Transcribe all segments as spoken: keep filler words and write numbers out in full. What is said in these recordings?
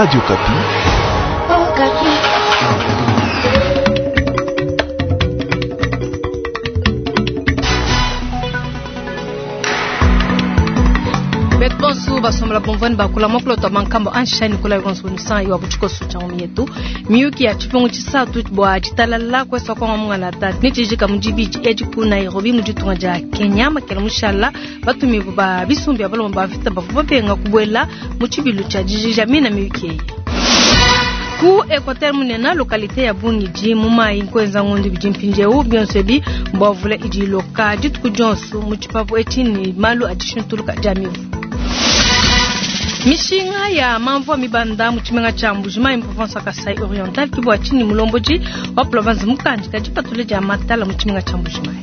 Radio Okapi. Oh, Betu basombola bomvani bakula mokolo twa mankambo anshani kula yonso iwa butshikoso tsha mietu miyuki ya tshipungu tshisatu bua tshitalala kwesa kwa mungala tatu ni tshijika mudibidi edi ku Nairobi mu ditunga dia Kenya makela mushala batumibu ba bisumbi abalomba ba vita bavua babenga kubuela mu tshibilu tshia dijija mina miyuki eyi ku Equateur munena localité ya Bungidi mu mai nkwenza ngondu bidi mpindieu bionso ebi mbwavula idi iloka dituku dionso mu tshipapu etshi ni malu adishintuluka dia mivu. Mishinga ya mamvua mibanda mu tshimenga tshia Mbuji-Mayi mu province ya Kasai Oriental kibwa tshini mulombodi wa province mukandi kadipatule dia matala mu tshimenga tshia Mbuji-Mayi.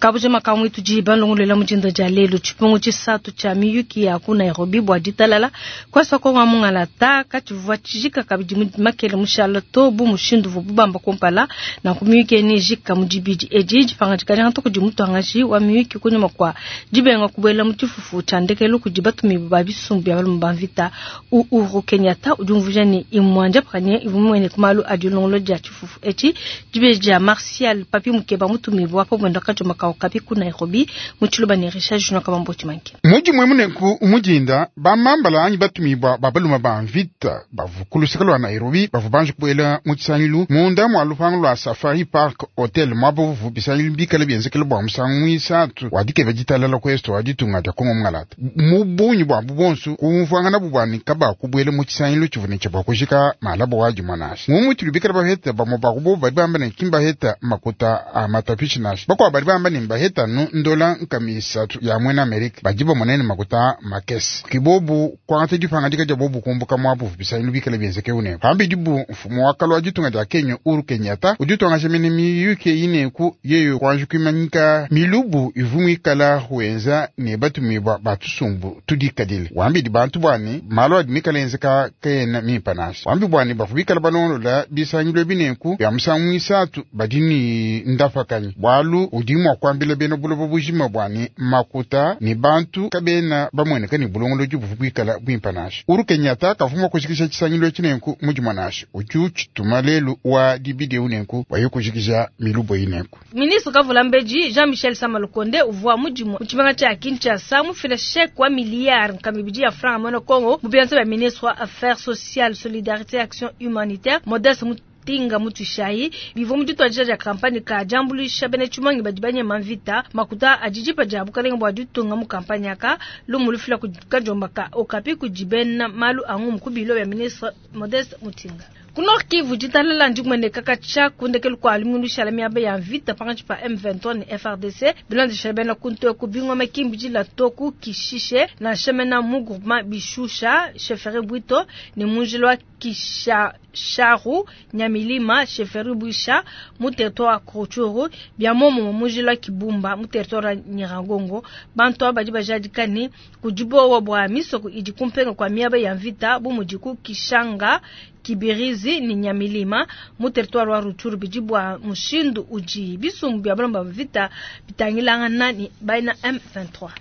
Kabuje makamu itu balongolela mujinda dia lelo tshipungu tshisatu tshia miyuki ya ku Nairobi bua ditalala kwasa ko wa mungala ta katshivua tshijika kabidi makele mushala to bu mushindu vu bubamba kumpala na ku miyuki eni jika mudibidi edi dipanga dikadi hanta kudi mutuangaji wa miyuki kunyuma kwa dibenga kubuela mu tshifufu tshia ndekelu kudi batumibu ba bisumbu bia balume ba mvita Uhuru Kenyatta udi umvuija ne imwanja pakanye ivumwene ku malu a dilongolo dia tshifufu etshi dibeji dia Martial Papi Mukeba mutumibu wa pabwenda kajoma kao kapi ku Nairobi mu tshiluba ne Richard Junior Kabambo Tshimanke. Muji mwe munenku umujinda bamambala anyi batumibwa babaluma ba mvita bavu lwa Nairobi bavu banje kubuela mu tshisangilu munda mwa lupango lwa Safari Park Hotel mwabuvu bisangilu bikala bienzekele bua musangu mwisatu wadikeva ditalala kwesto waditunga dia Kongo mungalata mu bunyi bwa bubonso kumvwangana bubwani kaba kubuela mu tshisangilu tshivune tsha bua kujika malabo waji mwanasi mumutulu bikala baheta bamwe bakubo badi bamba ne kimbaheta makuta a matapishi nasi bakwa badi bamba ne baheta nu ndola nkamisatu ya mwena Amerika bajiba monene makuta makesi kibobu kwangata dipanga dika dia bobu kumbuka mwabu bisangilu bikala bienzeke une pambi dibu mfumo wa kalwa ditunga dia Kenya Uhuru Kenyatta uditonga mene miyuke ineku yeyo kwanje kwimanyika milubu ivumwikala wenza ne batumibwa batusumbu tudikadile wambi di bantu bwani malo adi mikala enzeka kena mimpanasi wambi bwani bafubikala balondola bisangilu bineku bya musangu mwisatu badi ni ndafakanyi bwalu udi mwa kwambila bena buloba bujima bwani makuta ni bantu kabena bamweneka ni bulongoloji buvubwikala bwimpanasi Uhuru Kenyatta kavuma kushikisha tshisangilu tshinenku mujima nasi ucu tshituma lelu wa dibidi unenku waye kushikisha milubo inenku. Ministre Kavula Mbeji Jean-Michel Samalukonde uvua mudimu mu tshimenga tshia Kinshasa mufile chèque wa milliard nkamibidi ya franc mono Congo mu bianza bya ministre wa Affaires sociales, Solidarité et Action humanitaire Modeste Tinga mutushayi bivua mu dituadija dia kampanye ka diambuluisha bena tshimangi badi banyema mvita makuta adidipa dia bukalenge bua ditunga mu kampanye aka lumu lufila ku kajomba ka Okapi kudi bena malu a ngumu ku bilo bya ministre Modeste Mutinga. Ku Nord Kivu ditalala ndikumweneka katshia kundekelu kua lumingu lushala miaba ya mvita pankatshi pa M vingt-trois ne F R D C bilondeshela bena kuntu eku bingoma kimbidila toku kishishe nansha mena mu groupement Bishusha chefferie Bwito ne munjila wa Kisharu Nyamilima chefferie Bwisha mu territoire wa Rutshuru bia momo munjila wa Kibumba mu territoire wa Nyiragongo bantu aba badi bajadika ne kudibowa bua misoko idi kumpenga kwa miaba ya mvita bu mudi ku Kishanga Kibirizi ni Nyamilima mu territoire wa Rutshuru bidi bua mushindu udi bisumbu bia balomba vita bitangilangana ni baina M vingt-trois.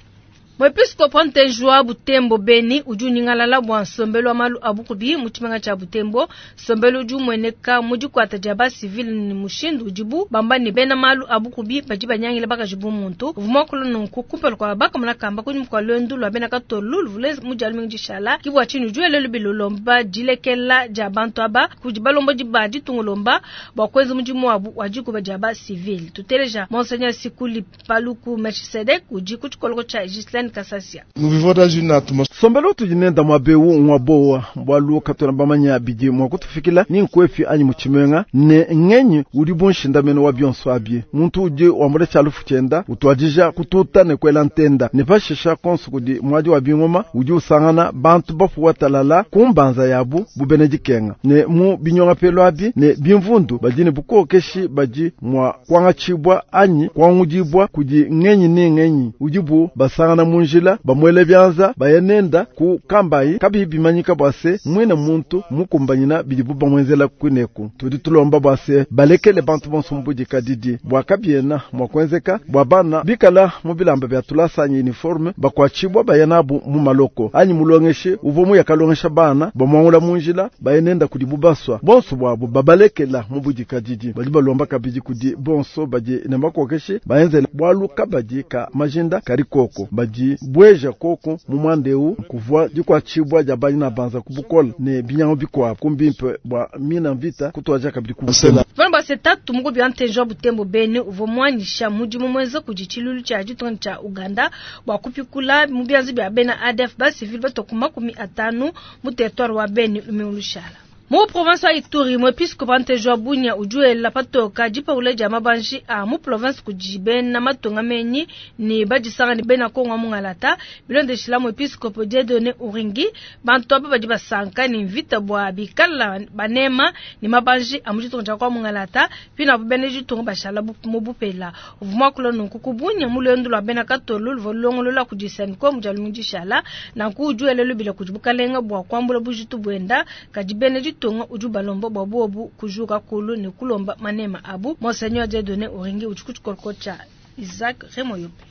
Mwepiskopo Ntenjwa Butembo Beni udi unyingalala bua nsombelu wa malu a bukubi mu tshimenga tshia Butembo nsombelu udi umueneka mu dikuata dia ba civil ni mushindu udibu bamba ne bena malu a bukubi badi banyangila bakaji bu muntu uvua muakula nunku kumpala kua bakamona kamba kunyima kua luendu lua bena katolu luvule mu dia lumingu dishala kibua tshini udi wela lubi lulomba dilekela dia bantu aba kudi balombodi ba ditunga lomba bua kuenza mudimu wabu wa dikuba dia ba civil tuteleja Monseigneur Sikuli Paluku Melchisedek udi ku tshikoloko tshia Gislaine Kasasia. Nous vivons dans une atmosphère. Sombelo tujinenda mwabewu mwabowa mbwalu katona bamanya bidi mwa kutufikila ni nkwefi anyi muchimenga ne ngenyi uli bunshindameno wa bionso abye muntu uje wambule chalufu chenda utwajija kututa ne kwela ntenda ne pashisha konso kudi mwaji wa bingoma udi usangana bantu bafu watalala kumbanza yabu bubene dikenga ne mu binyonga pelo abi ne bimvundu badine bukokeshi baji mwa kwanga chibwa anyi kwangudibwa kudi ngenyi ne ngenyi udibu basangana mu mu njila bamwele byanza baya nenda ku kambayi kabiyi bimanyika bwa se mwine muntu mukumbanyina bidibu bamwenzela kwineku. Tudi tulomba bwa se balekele bantu bonso mbudikadidi bwa kabiena mwa kuenzeka bwa bana bikala mu bilamba bya tulasa anyi uniforme bakwachibwa baya nabu mu maloko anyi mulongeshe uvo mu yakalongesha bana bamwangula mu njila baya nenda kudi bubaswa bonso bwabo babalekela mu budikadidi. Badi balomba kabidi kudi bonso badi ne makokeshe baenzela bwalu kabadi ka majinda kari koko badi bweja koko mu mwandeu kuvwa dikwachibwa dia banyina banza kubukola ne binyango bikwa kumbimpe bwa mina mvita kutwaja kabidi kubusela. Vana ba setatu mugo bya ntenjo butembo bene uvo mwanyisha mudimu mwenza kudi chilulu cha ditunga cha Uganda bwa kupikula mu byanzi bya bena A D F ba civil batokuma kumi atanu mu territoire wa Beni lumiulushala. Mu province ya Ituri, mwepiskopo Antejo Bunia ujuela patoka jipa ja mabanji a mu province kujibe na matonga menyi ni bajisanga ni bena Kongo mungalata bilondeshila mwepiskopo Dieudonné Uringi bantu aba badi basanka ni mvita bwa bikala banema ni mabanji a mu ditunga kwa mungalata pina bene ditunga bashala mu bupela uvuma kula nunku kubunya mu lwendo lwa bena katolo lvolongolola kujisani kwa mujalu mujishala na kujuela lubila kujibukalenga bwa kwambula bujitu bwenda kajibene tonga uju balomba bwa bobu kujuka kulu ni kulomba manema abu Monseigneur Dieudonné Uringi uchukuchukorkocha Isaac Remoyope.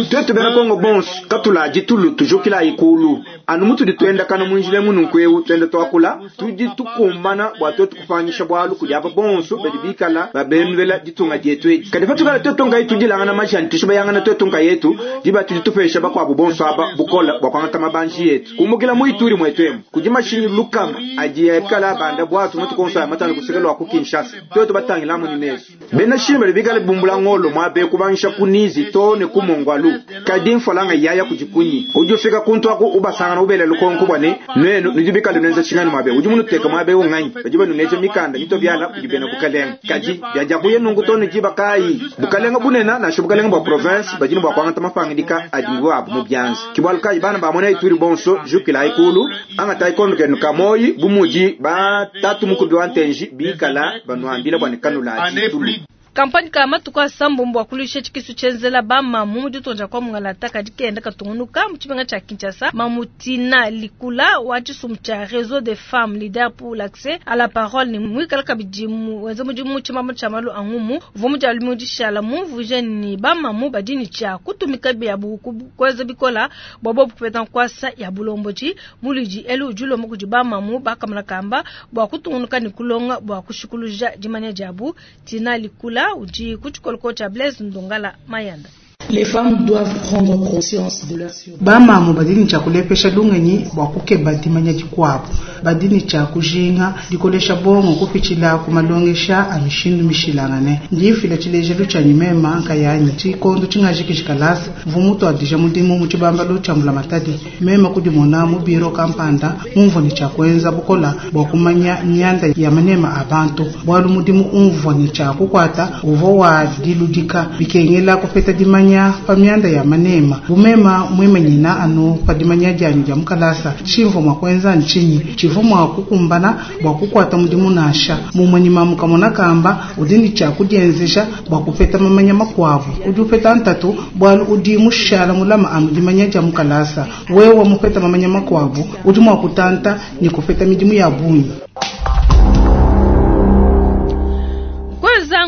Twetu bena Kongo bonso katula jitulu tujukila ikulu anu mutu ditwenda kana munjile mununkweu twenda twakula tudi tukumbana bwa twetu kufanyisha bwalu kudi aba bonso badi bikala babenvela ditunga dietu edi kadi patukala twetu ngai tudilangana majani tushibayangana twetu nka yetu diba tudi tupesha bakwabu bonso aba bukola bwa kwangata mabanji yetu kumbukila muituri mwetu emu kudi mashinyi lukama adi yakala banda bwatu mutu konso ya matano kusekelwa ku Kinshasa twetu batangilamu ni mesu bena shimba bikala bumbula ngolo mwabe kubangisha kunizi tone kumongwalu kadi mfolanga yaya kujikunyi ujufika kuntu aku ubasangana ubele lukonko bwane nwenu nujubikala nwenza chingani mwabe uju munuteka mwabe unganyi bajiba nuneje mikanda mito byala kujibena bukalenga kadi byaja kuye nungu tone jiba kai bukalenga bunena na shubukalenga bwa province bajini bwa kwangata mafangidika adingu abu mu byanzi kibwalu kai bana bamona ituri bonso jukila ikulu anga taikondo kenu kamoyi bumuji ba tatu mukubi wa ntenji bikala banwambila bwane kanula jitulu. Kampani ka matuka sambombo akulisha chikisu chenzela ba mamu muditonja kwa mungalata kadi kenda katungunuka mu tshimenga tsha Kinshasa mamutina likula wa tshisumbu tsha réseau des femmes leader pour l'accès à la parole ni mwikala kabidi mu wenza mudimu tshimama tsha malu angumu uvo mudialu mudishala mumvuje ni ba mamu badini tsha kutumika bya buku kweza bikola bwabo kupeta nkwasa ya bulomboji muliji elu ujulo kudi ba mamu bakamala kamba bwa kutungunuka ni kulonga bwa kushikuluja dimanya diabu tina likula uji kuchikoloko cha Blaise Ndongala Mayanda. Les femmes doivent prendre conscience de leur survie. Bamamu badini cha kulepesha lungenyi bwa kukeba dimanya dikwabu badini cha kujinga dikolesha bongo kupichila kumalongesha amishindu mishilangane ndifila tshilejelu tsha nyimema nkayanyi tshikondo tshingajikishikalasa mvumutu adija mudimu mu tshibambalo tsha mbulamatadi mema kudimona mu biro kampanda mumvua ni tsha kuenza bukola bwa kumanya myanda ya manema a bantu bwalu mudimu umvua ni tsha kukwata uvo wa diludika bikengela kupeta dimanya pa myanda ya manema bumema mwimenyina anu pa dimanya dyanyi dya mukalasa tshimvua mwa kuenza ntshinyi tshivu mwa kukumbana bwa kukwata mudimu nasha mumanyima mukamona kamba udi ni tsha kudienzesha bwa kupeta mamanya makwavu udi upeta ntatu bwalu udi mushala mulama anu dimanya dya mukalasa wewe mupeta mamanya makwavu udi mwa kutanta ni kupeta midimu ya bunyi.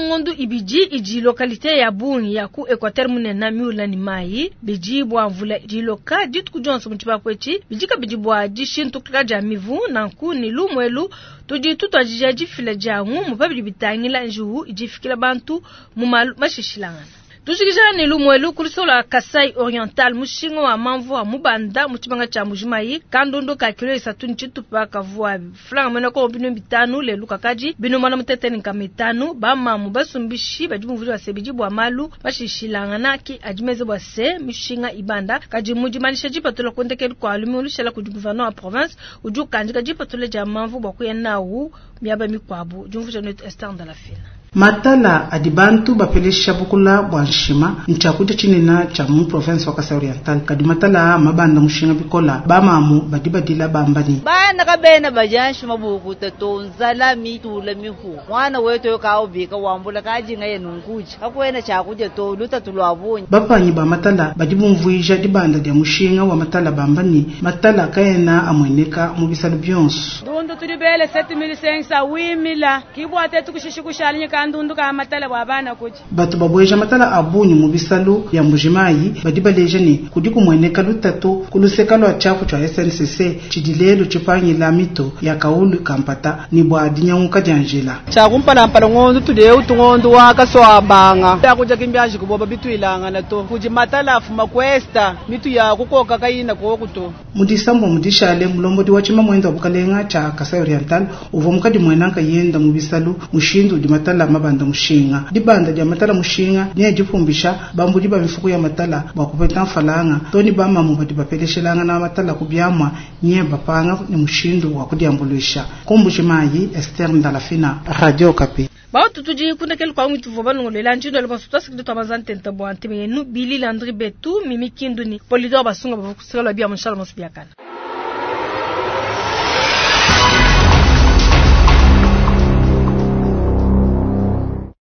Ngondu ibiji iji lokalite ya bungi ya ku Equateur munena miula ni mai biji bwa mvula jiloka dituku dionso mu tshipapwechi bijika biji bwa dishintu ja mivu nanku ni lumwelu tudi tutwajija difila dia ngumu pabidi bitangila njuhu ijifikila bantu mu malu mashishilangana. Tushikijana ni lumwelu kulisola Kasai Oriental mushinga wa mamvu wa mubanda mu tshibanga tsha Mbujimayi kandondo ka kilo isatu ni tshitupa kavua flanga mwena ko binu bitanu lelu kakaji binu mwana mutete ni kamitanu ba mamu basumbishi badi muvuli wa sebiji bwa malu bashishilangana ki adimeze bwa se mishinga ibanda kaji mujimanisha jipatula kondekelu kwa alumi ulushela kudi gouverneur wa province uju kandika jipatula ja mamvu bwa kuya nawu miaba mikwabu jumvuja netu Esther Ndalafina. Matala adi bantu bapelesha bukula bua nshima ntshiakudia tshinene tshia mu province wa Kasai Oriental. Kadi matala a mabanda mushinga bikola bamamu badi badila bamba ni bana kabena baja nshima bukuta to nzala mitula mihu mwana wetu kaubika wambula kajinga yenu nkuji kakwena tshiakudia to lutatu lwa bunyi. Bapanyi ba matala badi bumvuija dibanda dia mushinga wa matala bamba ni matala kaena amweneka mu bisalu bionso. Ndundu tudi bele sept mille cinq cents huit mille kibwa tetu kushishi kushalinyi kandundu ka matala bwa bana kuji. Batu babweja matala abunyi mu bisalu bya Mbujimayi badi baleja ni kudi kumweneka lutatu kuluseka lwa tshiapu tshia S N C C tshidi lelu tshipangila mito ya kaulu kampata ni bwa dinyanguka dia njila. Tshia kumpalampala ngondu tudeu tungondu wa kaswa banga. Ya kuja kimbyaji kuboba bitwilangana to. Kuji matala afuma kwesta mitu ya kukoka kayina kokuto. Mudisambo mudishale mulombodi wa tshima mwenda wa bukalenga tshia Kasai Oriental uvua mukadi mwenanka yenda mu bisalu mushindu udi matala mabanda mushinga. Dibanda dia matala mushinga ni dipumbisha bambudi ba mifuku ya matala bwa kupeta mfalanga toni bamamu badi bapeleshelanga na matala kubyamwa nye bapanga ni mushindu wa kudiambulisha. Kumbujimayi Esther Ndalafina, Radio Okapi. Bautu tudi kundekele kwa mwitu voba nongolela njindo le bonso twasiki twa mazantenta bwa ntemenu Billy Landry Betu Mimi Kindu ni Polidor Basunga bavukusela bia mushala mosu biakana.